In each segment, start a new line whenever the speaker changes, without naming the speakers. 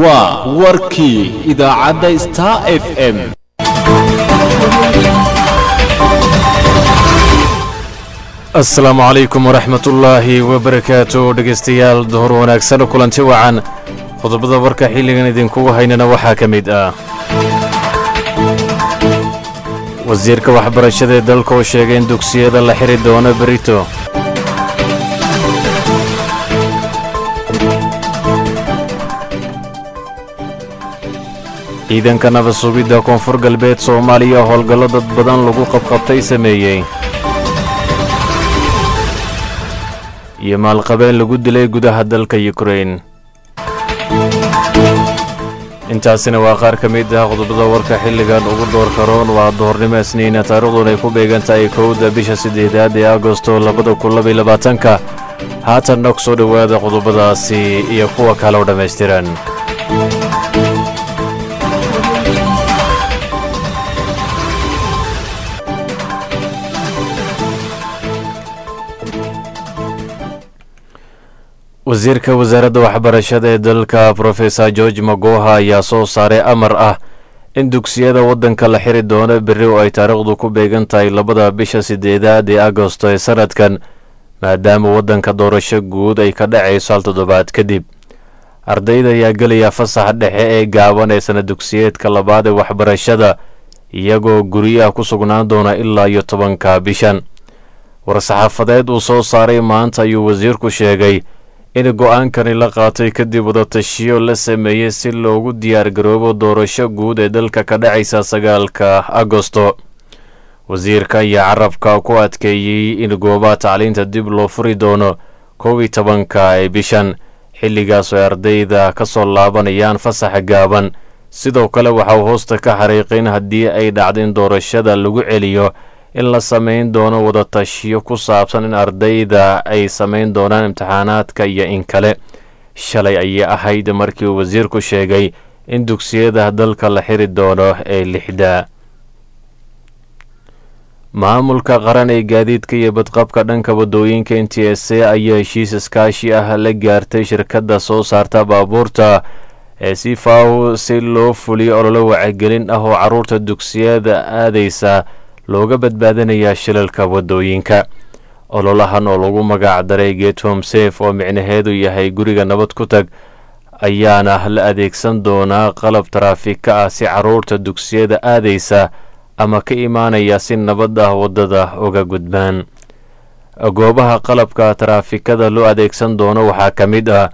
Waa warkii idaacadda Star FM.
Asalaamu calaykum waraxmatullaahi wabarakaatu. Dhegaystayaal, duhur wanaagsan, kulanti wacan. Qodobada warka xilligan idinkugu haynana waxaa ka mid ah wasiirka waxbarashada ee dalka oo sheegay in dugsiyada la xiri doono berito, ciidanka nabad sugidda Koonfur Galbeed Soomaaliya howlgallo dad badan lagu qabqabtay sameeyey, iyo maalqabeen lagu dilay gudaha dalka Yukrain. Intaasina waa qaar ka mid ah qodobada warka xilligan ugu door karoon. Waa duhurnimo Isniina, taariikhduna ay ku beegan tahay 1da bisha 8aad ee Agosto 2022-ka. Haatanna ku soo dhowaada qodobadaasi iyo kuwa kale oo dhammaystiran. Wasiirka wasaaradda waxbarashada ee dalka, Professor George Magoha, ayaa soo saaray amar ah in dugsiyada waddanka la xiri doono berri oo ay taariikhdu ku beegan tahay 2da bisha 8aad ee Agosto ee sanadkan, maadaama waddanka doorasho guud ay ka dhacayso hal toddobaad kadib. Ardayda ayaa gelaya fasaxa dhexe ee gaaban ee sana dugsiyeedka labaad ee waxbarashada, iyagoo guryaha ku sugnaan doona ilaa iyo 10-ka bishan. War-saxaafadeed uu soo saaray maanta ayuu wasiirku sheegay in go-aankani la qaatay kadib wadatashiyo la sameeyey si loogu diyaargaroobo doorasho guud ee dalka ka dhacaysa 9-ka Agosto. Wasiirka ayaa carabka ku adkeeyey in goobaha tacliinta dib loo furi doono 11-ka ee bishan, xilligaas oo ay ardayda ka soo laabanayaan fasaxa gaaban. Sidoo kale waxa uu hoosta ka xariiqay in haddii ay dhacdo in doorashada lagu celiyo, in la samayn doono wadatashiyo ku saabsan in ardayda ay samayn doonaan imtixaanaadka iyo in kale. Shalay ayay ahayd markii uu wasiirku sheegay in dugsiyada dalka la xiri doono ee 6-da. Maamulka qaran ee gaadiidka iyo badqabka dhanka waddooyinka NTSA ayaa heshiis iskaashi ah la gaartay shirkadda soo saarta baabuurta ee Sifaw si loo fuliyo ololo wacagelin ah oo carruurta dugsiyada aadaysa looga badbaadinayaa shilalka waddooyinka. Ololahan oo lagu magac daray Get Home Safe, oo micnaheedu yahay guriga nabad ku tag, ayaana la adeegsan doonaa qalab taraafika ah si carruurta dugsiyada aadaysa ama ka imaanaya si nabad ah waddada uga gudbaan. Goobaha qalabka taraafikada loo adeegsan doono waxaa ka mid ah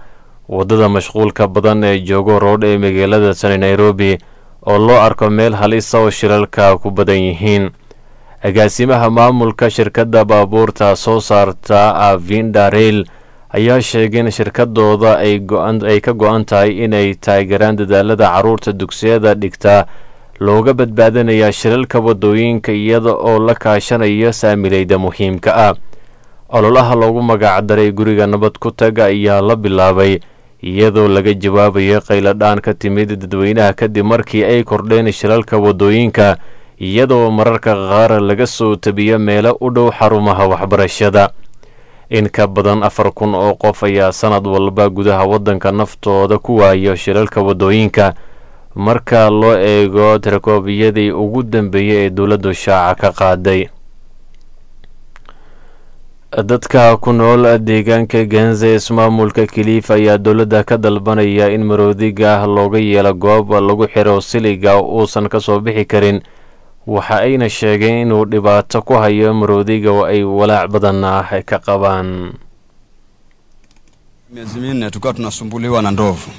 waddada mashquulka badan ee Jogoo Road ee magaalada tani Nairobi, oo loo arko meel halisa oo shilalka ku badan yihiin. Agaasimaha maamulka shirkadda baabuurta soo saarta Avinda Rail ayaa sheegay in shirkadooda ay ka go-an tahay inay taageeraan dadaalada carruurta dugsiyada dhigta looga badbaadinayaa shilalka waddooyinka, iyada oo la kaashanayo saamileyda muhiimka ah. Ololaha loogu magac daray guriga nabad ku taga ayaa la bilaabay iyadoo laga jawaabayo qayladhaan ka timid dadweynaha kadib markii ay kordheen shilalka waddooyinka, iyadoo mararka qaar laga soo tabiyo meelo u dhow xarumaha waxbarashada. In ka badan 4000 oo qof ayaa sanad walba gudaha waddanka naftooda ku waayo shilalka waddooyinka, marka loo eego tirakoobiyadii ugu dambeeyey ee dowladdu shaaca ka qaaday. Dadka ku nool deegaanka Ganze, ismaamulka Kiliif, ayaa dowladda ka dalbanaya in maroodiga looga yeelo goob lagu xiro siliga uusan ka soo bixi karin. Waxa ayna sheegeen inuu dhibaato ku hayo maroodiga oo ay walaac badan ah ka qabaan.
Miezi 4 tukiwa tunasumbuliwa na ndovu.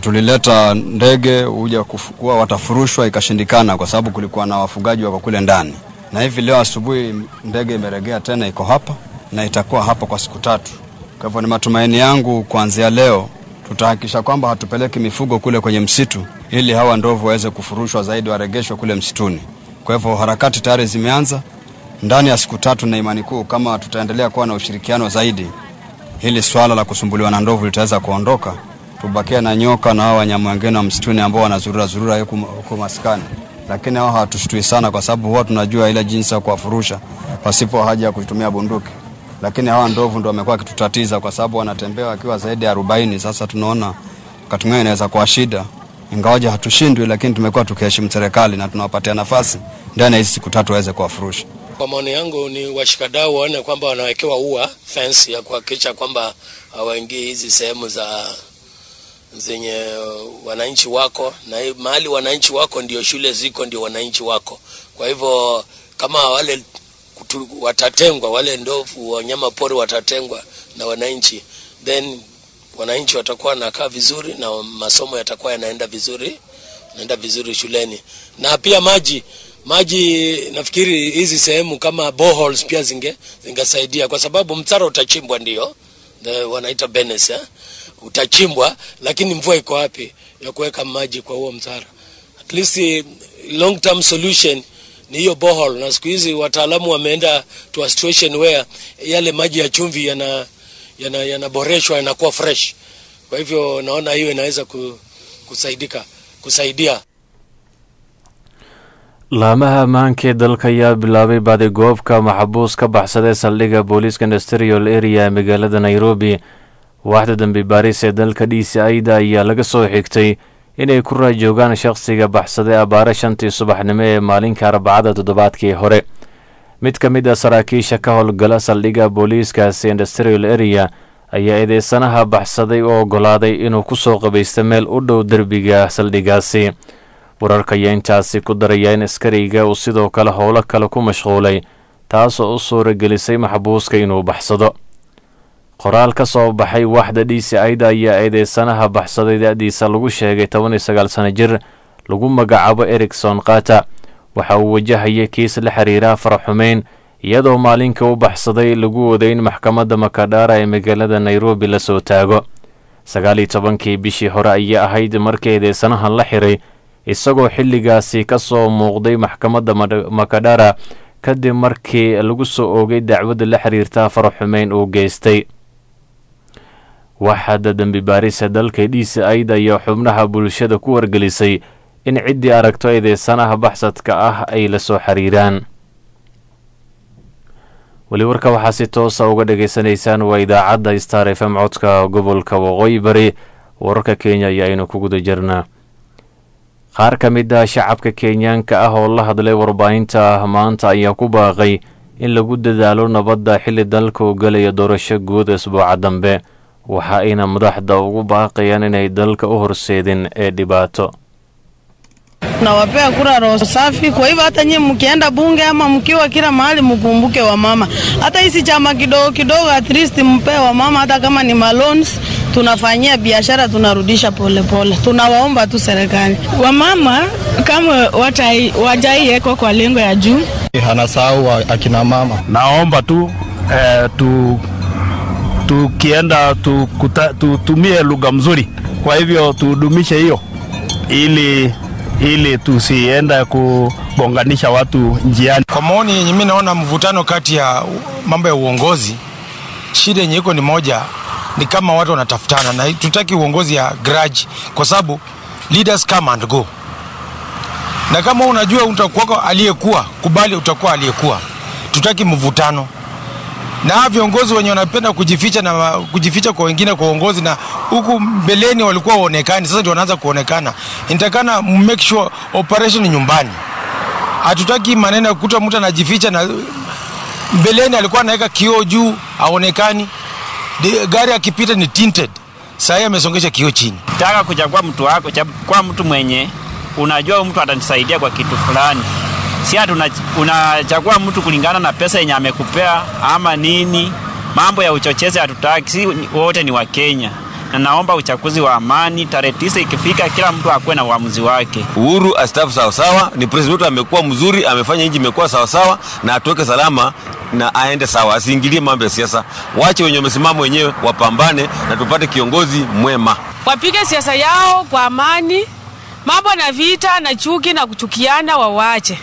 Tulileta ndege huja kuwa watafurushwa, ikashindikana kwa sababu kulikuwa na wafugaji wako kule ndani, na hivi leo asubuhi ndege imeregea tena, iko hapa na itakuwa hapa kwa siku 3. Kwa hivyo ni matumaini yangu kuanzia leo tutahakikisha kwamba hatupeleki mifugo kule kwenye msitu, ili hawa ndovu waweze kufurushwa zaidi, waregeshwe kule msituni. Kwa hivyo harakati tayari zimeanza. Ndani ya siku 3, na imani kuu kama tutaendelea kuwa na ushirikiano zaidi, hili swala la kusumbuliwa na ndovu litaweza kuondoka, tubakia na nyoka na hawa wanyama wengine wa msituni ambao wanazurura zurura huku maskani, lakini hao hawatushtui sana, kwa sababu huwa tunajua ile jinsi ya kuwafurusha pasipo haja ya kutumia bunduki. Lakini hawa ndovu ndo wamekuwa wakitutatiza kwa sababu wanatembea wakiwa zaidi ya 40. Sasa tunaona Wakati mwingine inaweza kuwa shida, ingawaje hatushindwi, lakini tumekuwa tukiheshimu serikali na tunawapatia nafasi ndani ya hizi siku 3 waweze kuwafurusha.
Kwa maoni yangu ni washikadau waone kwamba wanawekewa ua fence ya kuhakikisha kwamba hawaingii hizi sehemu za zenye wananchi wako, na mahali wananchi wako ndio shule ziko, ndio wananchi wako. Kwa hivyo kama wale watatengwa, wale ndovu wanyama pori watatengwa na wananchi, then wananchi watakuwa wanakaa vizuri na masomo yatakuwa yanaenda vizuri, yanaenda vizuri shuleni. Na pia maji nafikiri hizi sehemu kama boreholes pia zingesaidia, kwa sababu mtaro utachimbwa, ndio wanaita benes, utachimbwa, lakini mvua iko wapi ya kuweka maji kwa huo mtaro? At least long term solution ni hiyo borehole, na siku hizi wataalamu wameenda to a situation where yale maji ya chumvi yanaboreshwa, yanakuwa fresh. Kwa hivyo naona hiyo inaweza kusaidia.
Laamaha ammaanka ee dalka ayaa bilaabay baadigoobka maxbuus ka baxsaday saldhigga booliiska Industrial Area ee magaalada Nairobi. Waaxda dambi baaris ee dalka DCI-da ayaa laga soo xigtay inay ku raajoogaan shakhsiga baxsaday abaare 5tii subaxnimo ee maalinka Arbacada toddobaadkii hore. Mid ka mid ah saraakiisha ka howlgala saldhigga booliiskaasi Industrial Area ayaa eedeysanaha baxsaday u ogolaaday inuu kusoo qabaysto meel u dhow derbiga saldhiggaasi. Wararka ayaa intaasi ku daraya in askariga uu sidoo kale howlo kale ku mashquulay, taasoo u suuragelisay maxbuuska inuu baxsado. Qoraal ka soo baxay waaxda DCI-da ayaa eedeysanaha baxsaday da-diisa lagu sheegay 19 sano jir lagu magacaabo Ericson Kata. Waxa uu wajahayay kiis la xiriira faraxumeyn, iyadoo maalinka u baxsaday lagu waday in maxkamadda Makadara ee magaalada Nairobi lasoo taago. 19kii bishii hore ayaa ahayd markii eedeysanahan la xiray, isagoo xilligaasi ka soo muuqday maxkamadda Makadara kadib markii lagu soo oogay dacwadda la xiriirta faraxumeyn uu geystay. Waxaada dembi baarisa dalka DCI-da ayaa xubnaha bulshada ku wargelisay in ciddii aragto eedeysanaha baxsadka ah ay la soo xiriiraan. Weli warka waxaa si toosa uga dhageysanaysaan waa idaacadda Star FM, codka gobolka Waqooyi Bari. Wararka Kenya ayaa aynu ku guda jirnaa. Qaar ka mid ah shacabka Kenyaanka ah oo la hadlay warbaahinta maanta ayaa ku baaqay in lagu dadaalo nabadda xilli dalka uu galayo doorasho guud isbuuca dambe. Waxa ayna madaxda ugu baaqayaan inay dalka u horseedin ee dhibaato.
Nawapea kura roho safi. Kwa hivyo hata nyinyi mkienda bunge ama mkiwa kila mahali, mkumbuke wamama. Hata hizi chama kidogo kidogo, at least mpe wamama, hata kama ni maloans tunafanyia biashara, tunarudisha polepole. Tunawaomba tu serikali.
Wamama kama wajaiwekwa kwa lengo ya juu,
anasahau akina mama.
Naomba tu tukienda tutumie lugha mzuri, kwa hivyo tudumishe hiyo ili tusienda kugonganisha watu njiani.
Kwa maoni yenye mimi naona, mvutano kati ya mambo ya uongozi, shida yenye iko ni moja, ni kama watu wanatafutana, na tutaki uongozi ya grudge, kwa sababu leaders come and go, na kama unajua utakuwa aliyekuwa, kubali utakuwa aliyekuwa. Tutaki mvutano na viongozi wenye wanapenda kujificha na kujificha kwa wengine kwa uongozi, na huku mbeleni walikuwa waonekani, sasa ndio wanaanza kuonekana. Inatakana make sure operation ni nyumbani. Hatutaki maneno ya kukuta mtu anajificha, na mbeleni alikuwa anaweka kioo juu aonekani, gari akipita ni tinted, sasa amesongesha kioo chini.
Taka kuchagua mtu wako, chagua mtu mwenye unajua mtu atanisaidia kwa kitu fulani. Si ati unachagua mtu kulingana na pesa yenye amekupea ama nini. Mambo ya uchochezi hatutaki, si wote ni Wakenya. Na naomba uchaguzi wa amani, tarehe 9 ikifika, kila mtu akuwe na uamuzi wake.
Uhuru astaafu sawasawa, ni president amekuwa mzuri, amefanya nchi imekuwa sawasawa, na atuweke salama na aende sawa, asiingilie mambo ya siasa. Wache wenye wamesimama wenyewe wapambane na tupate kiongozi mwema.
Wapige siasa yao kwa amani, mambo na vita na chuki na kuchukiana wawache,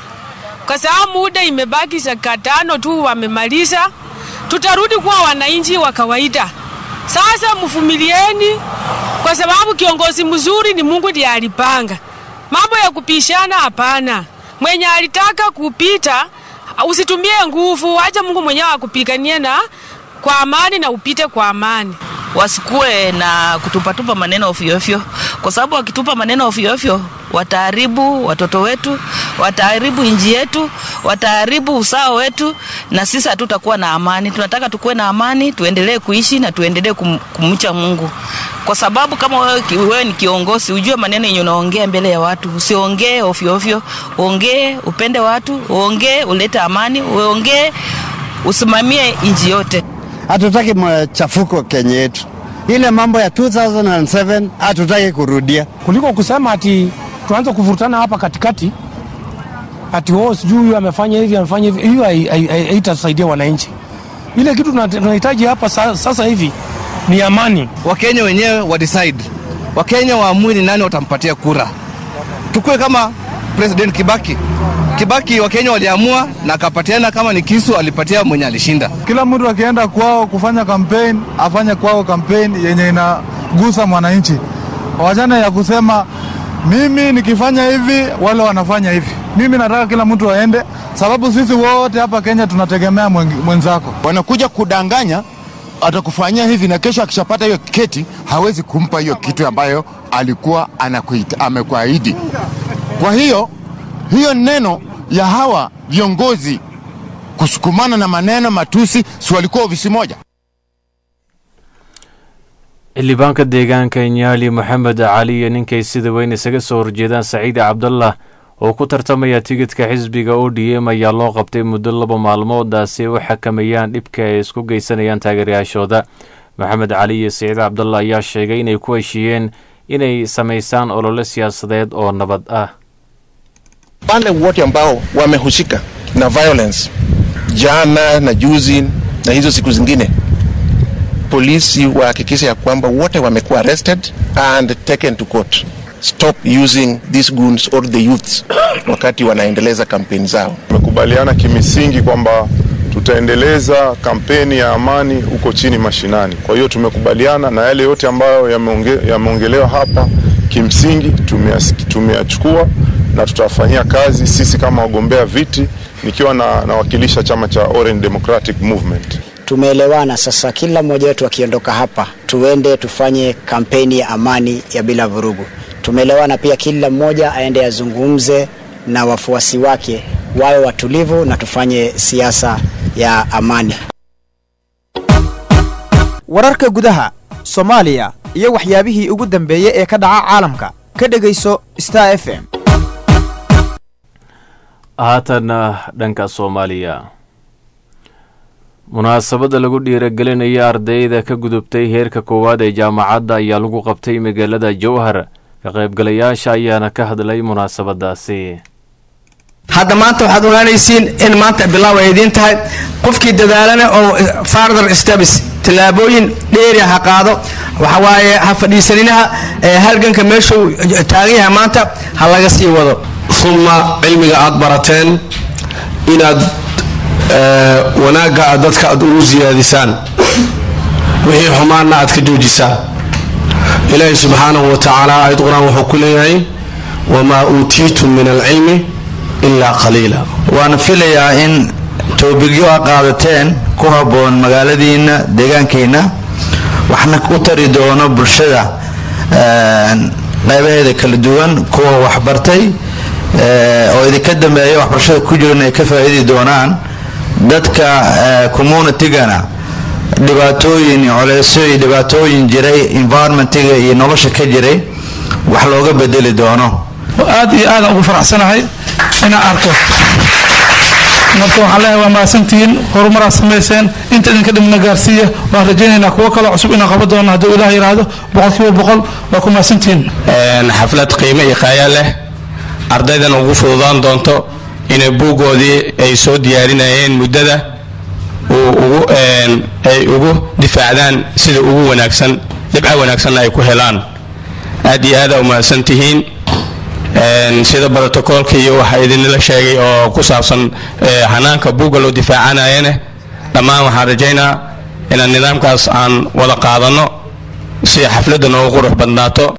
kwa sababu muda imebaki dakika 5 tu, wamemaliza. Tutarudi kuwa wananchi wa kawaida. Sasa mvumilieni, kwa sababu kiongozi mzuri ni Mungu ndiye alipanga. Mambo ya kupishana hapana. Mwenye alitaka kupita usitumie nguvu, acha Mungu mwenyewe akupiganie na kwa amani na upite kwa amani.
Wasikuwe na kutupatupa maneno ofyo ofyo, kwa sababu wakitupa maneno ofyo ofyo wataharibu watoto wetu, wataharibu nchi yetu, wataharibu usawa wetu, na sisi hatutakuwa na amani. Tunataka tukuwe na amani, tuendelee kuishi na tuendelee kumcha Mungu, kwa sababu kama wewe ni kiongozi, ujue maneno yenye unaongea mbele ya watu. Usiongee ofyo ofyo, ongee upende watu, uongee ulete amani, uongee usimamie nchi yote.
Hatutaki machafuko Kenya yetu. Ile mambo ya 2007 hatutaki kurudia.
Kuliko kusema ati tuanze kuvurutana hapa katikati ati oh, sijui huyu amefanya hivi, amefanya hivi, hiyo haitasaidia wananchi. Ile kitu tunahitaji hapa sasa hivi ni amani.
Wakenya wenyewe wa decide, Wakenya waamue ni nani watampatia kura. Tukue kama President Kibaki. Kibaki Wakenya waliamua na akapatiana, kama ni kisu alipatia mwenye alishinda.
Kila mtu akienda kwao kufanya campaign, afanye kwao campaign yenye inagusa mwananchi. Wachana ya kusema mimi nikifanya hivi wale wanafanya hivi. Mimi nataka kila mtu aende, sababu sisi wote hapa Kenya tunategemea mwenzako.
Wanakuja kudanganya, atakufanyia hivi na kesho akishapata hiyo keti hawezi kumpa hiyo kitu ambayo alikuwa amekuahidi. Kwa hiyo hiyo neno ya hawa viongozi kusukumana na maneno matusi, si walikuwa ofisi moja?
Xildhibaanka deegaanka Nyaali Moxamed Cali iyo ninkay sida weyn isaga soo horjeedaan Saciid Cabdallah oo ku tartamaya tigidhka xisbiga ODM ayaa loo qabtay muddo 2 maalmoodaasi ay u xakameeyaan dhibka ay isku geysanayaan taageerayaashooda. Moxamed Cali iyo Saciid Cabdallah ayaa sheegay inay ku heshiiyeen inay samaysaan olole siyaasadeed oo nabad ah.
Wale wote ambao wamehusika na violence jana na juzi na hizo siku zingine, polisi wahakikishe ya kwamba wote wamekuwa arrested and taken to court. Stop using these goons or the youths wakati wanaendeleza kampeni zao.
Tumekubaliana kimisingi kwamba tutaendeleza kampeni ya amani huko chini mashinani. Kwa hiyo tumekubaliana na yale yote ambayo yameongelewa hapa, kimsingi tumeyachukua na tutafanyia kazi sisi kama wagombea viti, nikiwa nawakilisha chama cha Orange Democratic Movement.
Tumeelewana sasa, kila mmoja wetu akiondoka hapa tuende tufanye kampeni ya amani ya bila vurugu. Tumeelewana pia kila mmoja aende azungumze na wafuasi wake, wawe watulivu na tufanye siasa ya amani.
Wararka gudaha Soomaaliya iyo waxyaabihii ugu dambeeyay ee ka dhaca caalamka ka dhagayso Star FM.
Haatana dhanka Soomaaliya, munaasabadda lagu dhiiragelinaya ardayda ka gudubtay heerka koowaad ee jaamacadda ayaa lagu qabtay magaalada Jowhar. Ka qaybgalayaasha ayaana ka hadlay munaasabadaasi.
Hadda maanta waxaad ogaanaysiin in maanta bilaaw ay idiin tahay. Qofkii dadaalana oo farther steps, tillaabooyin dheeri ha qaado, waxa waaye ha fadhiisaninaha, halganka meeshuu taagan yahay maanta ha laga sii wado.
Uma cilmiga aad barateen inaad wanaagga aad dadka aad ugu siyaadisaan, wixii xumaanna aad ka joojisaan. Ilaahay subxaanahu wa tacaala aayad qur-aan wuxuu ku leeyahay wamaa uutiitum min alcilmi ilaa qaliila.
Waana filayaa in toobigyo a qaadateen ku habboon magaaladiinna, deegaankiinna, waxna u tari doono bulshada qaybaheeda kala duwan, kuwa waxbartay oo idinka dambeeya waxbarashada ku jiran ay ka faa'iidi doonaan, dadka communitygana dhibaatooyin culeysyo iyo dhibaatooyin jiray environmentiga iyo nolosha ka jiray wax looga bedeli doono.
Aad iyo aadaan ugu faraxsanahay inaan arko. Marka waxaan leeyahay waa mahadsantihiin, horumaraa samayseen, inta idinka dhibna gaarsiiya. Waan rajaynaynaa kuwo kaloo cusub inaan qaban doono hadduu Ilaah yidhaahdo. 100% waa ku mahadsantihiin.
Xaflad qiimo iyo qaaya leh, ardaydana ugu fududaan doonto inay buuggoodii ay soo diyaarinayeen muddada ay ugu difaacdaan sida ugu wanaagsan, dhibco wanaagsanna ay ku helaan. Aad iyo aada umahadsan tihiin. Sida brotocoolka iyo waxa idinla sheegay oo ku saabsan hanaanka buugga loo difaacanayana, dhammaan waxaan rajaynaa inaan nidaamkaas aan wada qaadanno si xafladda noogu qurux badnaato.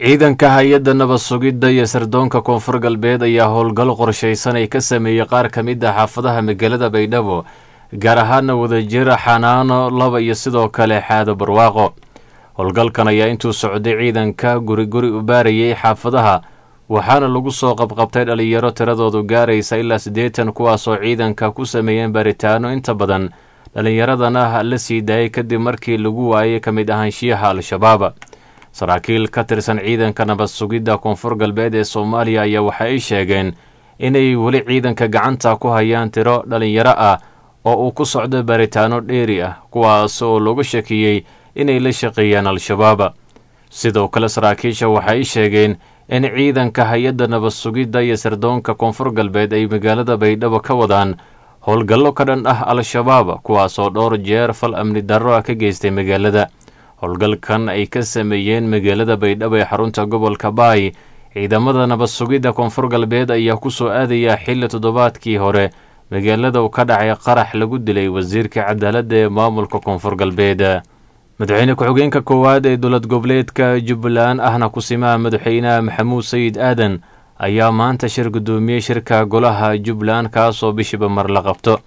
Ciidanka hay-adda nabad sugidda iyo sirdoonka Koonfur Galbeed ayaa howlgal qorshaysan ay ka sameeyey qaar ka mid ah xaafadaha magaalada Baydhabo gaar ahaana Wadajir, Xanaano 2 iyo sidoo kale Xaado Barwaaqo. Howlgalkan ayaa intuu socday ciidanka guri guri u baarayay xaafadaha, waxaana lagu soo qabqabtay dhalinyaro tiradoodu gaaraysa ilaa 80, kuwaasoo ciidanka ku sameeyeen baaritaano. Inta badan dhallinyaradana la sii daayay kadib markii lagu waayay ka mid ahaanshiyaha Al-Shabaab. Saraakiil ka tirsan ciidanka nabad sugidda Koonfur Galbeed ee Soomaaliya ayaa waxa ay sheegeen inay weli ciidanka gacanta ku hayaan tiro dhalinyaro ah oo uu ku socdo baaritaano dheeri ah, kuwaas oo looga shakiyey inay la shaqeeyaan Al-Shabaab. Sidoo kale saraakiisha waxay sheegeen in ciidanka hay-adda nabad sugidda iyo sirdoonka Koonfur Galbeed ay magaalada Baydhabo ka wadaan howlgallo ka dhan ah Al-Shabaab, kuwaasoo dhowr jeer fal amni darro ah ka geystay magaalada. Howlgalkan ay ka sameeyeen magaalada Baydhabo ee xarunta gobolka Baay ciidamada nabad sugidda Koonfur Galbeed ayaa ku soo aadaya xilli toddobaadkii hore magaalada uu ka dhacay qarax lagu dilay wasiirka cadaaladda ee maamulka Koonfur Galbeed. Madaxweyne ku-xigeenka koowaad ee dowlad goboleedka Jubbaland ahna kusimaha madaxweynaha Maxamuud Sayid Aadan ayaa maanta shir guddoomiyey shirka golaha Jubbaland, kaasoo bishiiba mar la qabto.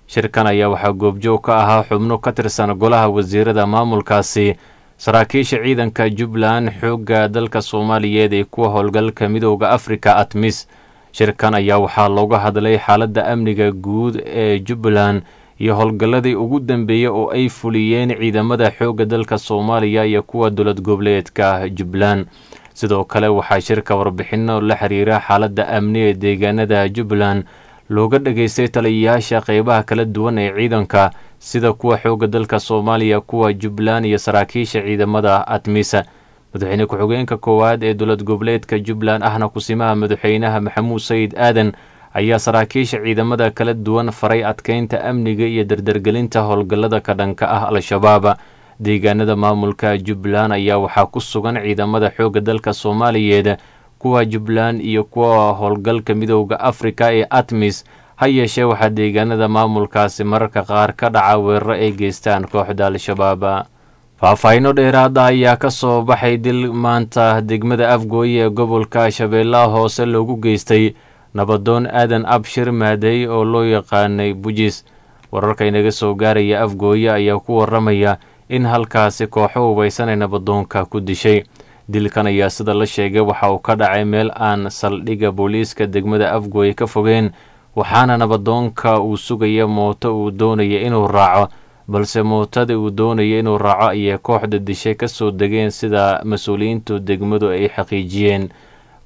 Shirkan ayaa waxaa goobjoog ka ahaa xubno ka tirsan golaha wasiirada maamulkaasi, saraakiisha ciidanka Jubbaland, xoogga dalka Soomaaliyeed ee kuwa howlgalka Midooda Afrika ATMIS. Shirkan ayaa waxaa looga hadlay xaaladda amniga guud ee Jubbaland iyo howlgalladii ugu dambeeyey oo ay fuliyeen ciidamada xoogga dalka Soomaaliya iyo kuwa dowlad goboleedka Jubbaland. Sidoo kale waxaa shirka warbixino la xiriira xaaladda amni ee deegaanada Jubbaland looga dhageystay taliyayaasha qeybaha kala duwan ee ciidanka, sida kuwa xoogga dalka Soomaaliya, kuwa Jubbaland iyo saraakiisha ciidamada ATMISA. Madaxweyne ku-xigeenka koowaad ee dowlad goboleedka Jubbaland ahna kusimaha madaxweynaha Maxamuud Sayid Aadan ayaa saraakiisha ciidamada kala duwan faray adkeynta amniga iyo dardargelinta howlgallada ka dhanka ah Al-Shabaab. Deegaanada maamulka Jubbaland ayaa waxaa ku sugan ciidamada xoogga dalka Soomaaliyeed, kuwa Jubbaland iyo kuwa howlgalka Midooda Afrika ee ATMIS. Ha yeeshee waxaa deegaanada maamulkaasi mararka qaar ka dhaca weeraro ay geystaan kooxda Al-Shabaab. Faahfaahinno dheeraada ayaa ka soo baxay dil maanta degmada Afgooye ee gobolka Shabeellaha Hoose loogu geystay nabadoon Aadan Abshir Maadey oo loo yaqaanay Bujis. Wararka inaga soo gaaraya Afgooye ayaa ku waramaya in halkaasi kooxo hubaysan ay nabadoonka ku dishay. Dilkan ayaa sida la sheegay waxa uu ka dhacay meel aan saldhigga booliiska degmada Afgooye ka fogeen, waxaana nabadoonka uu sugaya mooto uu doonaya inuu raaco, balse mootadii uu doonaya inuu raaco ayay kooxda dishay ka soo degeen, sida mas-uuliyiintu degmadu ay xaqiijiyeen.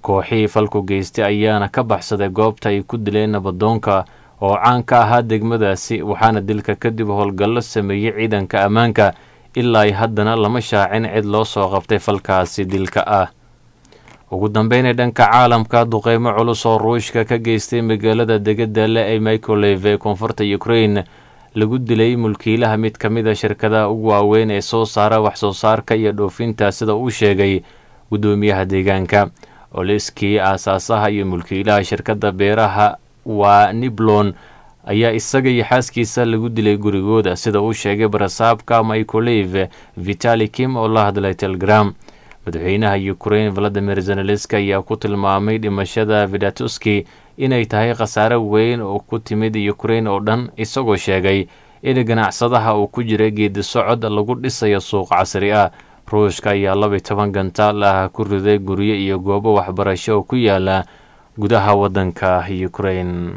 Kooxihii falku geystay ayaana ka baxsaday goobta ay ku dileen nabadoonka oo caan ka ahaa degmadaasi, waxaana dilka kadib howlgallo sameeyey ciidanka ammaanka. Ilaa ay haddana lama shaacin cid loo soo qabtay falkaasi dilka ah. Ugu dambeynay dhanka caalamka, duqeymo culus oo Ruushka ka geystay magaalada degada le ee Mikoleve ee koonfurta Ukraine lagu dilay mulkiilaha mid ka mid a shirkadaha ugu waaweyn ee soo saara wax soo saarka iyo dhoofinta, sida uu sheegay guddoomiyaha deegaanka. Oliskii, aasaasaha iyo mulkiilaha shirkadda beeraha waa Niblon, ayaa isaga iyo xaaskiisa lagu dilay gurigooda, sida uu sheegay barasaabka Mikoleve Vitali Kim oo la hadlay Telegram. Madaxweynaha Ukraine Valadimir Zelenski ayaa ku tilmaamay dhimashada Vidatuski inay tahay khasaare weyn oo ku timid Ukraine oo dhan, isagoo sheegay in ganacsadaha uu ku jiray geedi socod lagu dhisayo suuq casri ah. Ruushka ayaa 12 gantaal ah ku riday guryo iyo goobo waxbarasho oo ku yaala gudaha waddanka Ukraine.